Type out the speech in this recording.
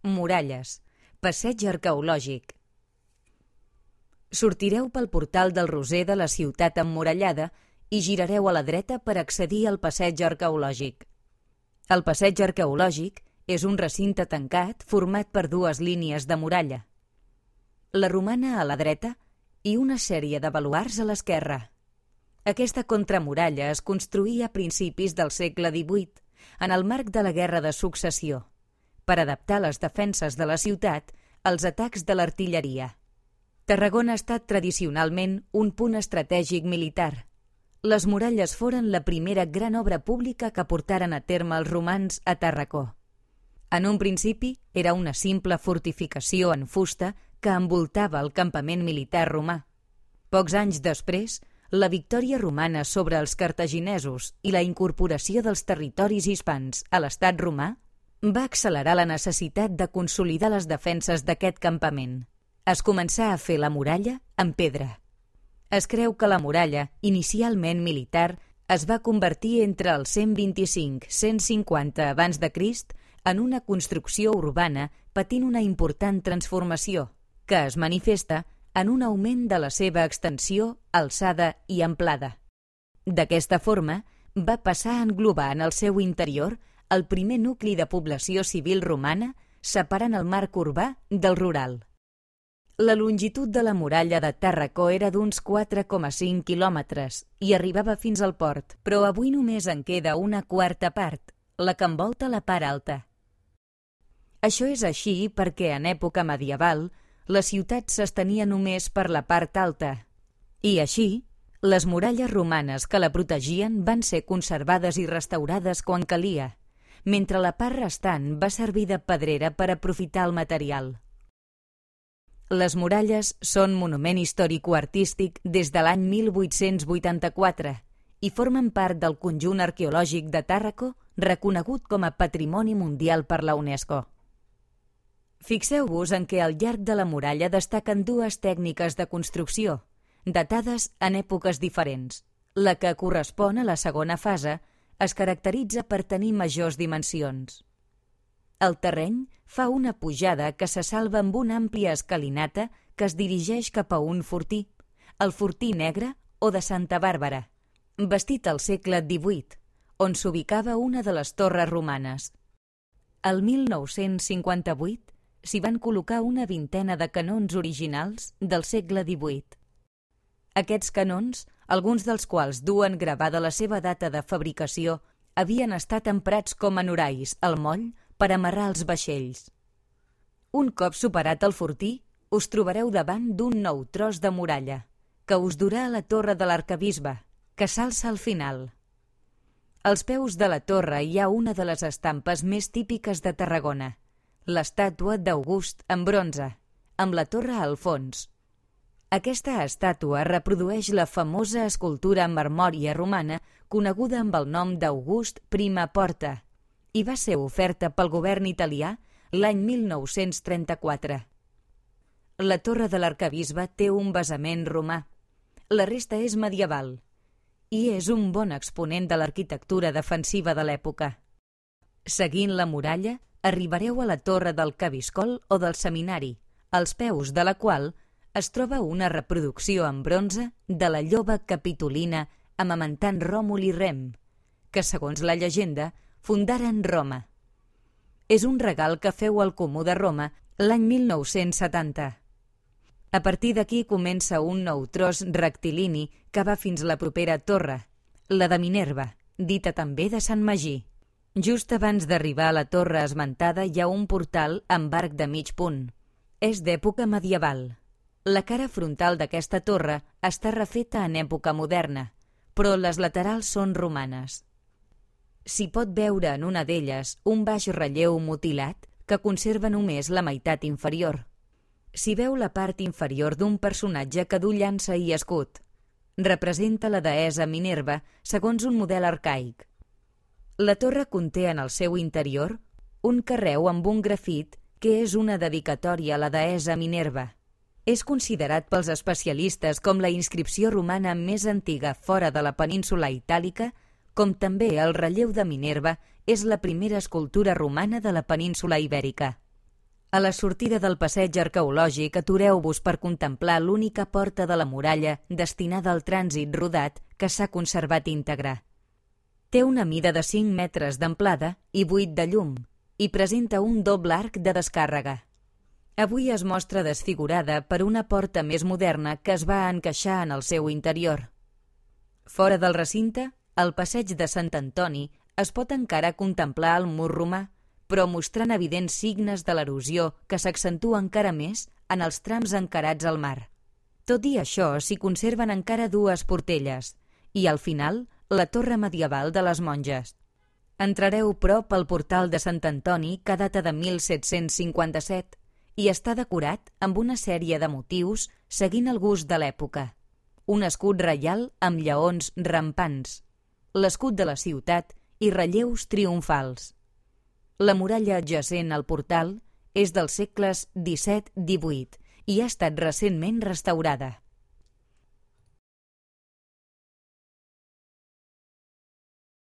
Muralles. Passeig arqueològic. Sortireu pel portal del Roser de la ciutat emmurallada i girareu a la dreta per accedir al passeig arqueològic. El passeig arqueològic és un recinte tancat format per dues línies de muralla. La romana a la dreta i una sèrie de baluards a l'esquerra. Aquesta contramuralla es construïa a principis del segle XVIII, en el marc de la Guerra de Successió, per adaptar les defenses de la ciutat als atacs de l'artilleria. Tarragona ha estat tradicionalment un punt estratègic militar. Les muralles foren la primera gran obra pública que portaren a terme els romans a Tàrraco. En un principi era una simple fortificació en fusta que envoltava el campament militar romà. Pocs anys després, la victòria romana sobre els cartaginesos i la incorporació dels territoris hispans a l'estat romà va accelerar la necessitat de consolidar les defenses d'aquest campament. Es començà a fer la muralla en pedra. Es creu que la muralla, inicialment militar, es va convertir entre el 125-150 abans de Crist en una construcció urbana patint una important transformació, que es manifesta en un augment de la seva extensió, alçada i amplada. D'aquesta forma, va passar a englobar en el seu interior el primer nucli de població civil romana, separant el marc urbà del rural. La longitud de la muralla de Tàrraco era d'uns 4,5 quilòmetres i arribava fins al port, però avui només en queda una quarta part, la que envolta la part alta. Això és així perquè en època medieval la ciutat s'estenia només per la part alta i així les muralles romanes que la protegien van ser conservades i restaurades quan calia, mentre la part restant va servir de pedrera per aprofitar el material. Les muralles són monument històrico-artístic des de l'any 1884 i formen part del conjunt arqueològic de Tàrraco reconegut com a Patrimoni Mundial per la UNESCO. Fixeu-vos en què al llarg de la muralla destaquen dues tècniques de construcció, datades en èpoques diferents. La que correspon a la segona fase es caracteritza per tenir majors dimensions. El terreny fa una pujada que se salva amb una àmplia escalinata que es dirigeix cap a un fortí, el Fortí Negre o de Santa Bàrbara, bastit al segle XVIII, on s'ubicava una de les torres romanes. El 1958 s'hi van col·locar una vintena de canons originals del segle XVIII. Aquests canons, alguns dels quals duen gravada la seva data de fabricació, havien estat emprats com a norais al moll per amarrar els vaixells. Un cop superat el fortí, us trobareu davant d'un nou tros de muralla, que us durà a la torre de l'arquebisbe, que s'alça al final. Als peus de la torre hi ha una de les estampes més típiques de Tarragona, l'estàtua d'August en bronze, amb la torre al fons. Aquesta estàtua reprodueix la famosa escultura marmòria romana coneguda amb el nom d'August Prima Porta i va ser oferta pel govern italià l'any 1934. La torre de l'arquebisbe té un basament romà. La resta és medieval i és un bon exponent de l'arquitectura defensiva de l'època. Seguint la muralla, arribareu a la torre del Cabiscol o del Seminari, als peus de la qual es troba una reproducció en bronze de la lloba capitolina amamentant Ròmul i Rem, que, segons la llegenda, fundaren Roma. És un regal que feu al Comú de Roma l'any 1970. A partir d'aquí comença un nou tros rectilini que va fins la propera torre, la de Minerva, dita també de Sant Magí. Just abans d'arribar a la torre esmentada hi ha un portal amb arc de mig punt. És d'època medieval. La cara frontal d'aquesta torre està refeta en època moderna, però les laterals són romanes. S'hi pot veure en una d'elles un baix relleu mutilat que conserva només la meitat inferior. S'hi veu la part inferior d'un personatge que du llança i escut. Representa la deessa Minerva segons un model arcaic. La torre conté en el seu interior un carreu amb un grafit que és una dedicatòria a la deessa Minerva. És considerat pels especialistes com la inscripció romana més antiga fora de la península itàlica, com també el relleu de Minerva és la primera escultura romana de la península ibèrica. A la sortida del passeig arqueològic atureu-vos per contemplar l'única porta de la muralla destinada al trànsit rodat que s'ha conservat íntegre. Té una mida de 5 metres d'amplada i 8 de llum i presenta un doble arc de descàrrega. Avui es mostra desfigurada per una porta més moderna que es va encaixar en el seu interior. Fora del recinte, al passeig de Sant Antoni es pot encara contemplar el mur romà, però mostrant evidents signes de l'erosió que s'accentua encara més en els trams encarats al mar. Tot i això, s'hi conserven encara 2 portelles i, al final, la torre medieval de les monges. Entrareu prop al portal de Sant Antoni, que data de 1757, i està decorat amb una sèrie de motius seguint el gust de l'època. Un escut reial amb lleons rampants, l'escut de la ciutat i relleus triomfals. La muralla adjacent al portal és dels segles XVII-XVIII i ha estat recentment restaurada.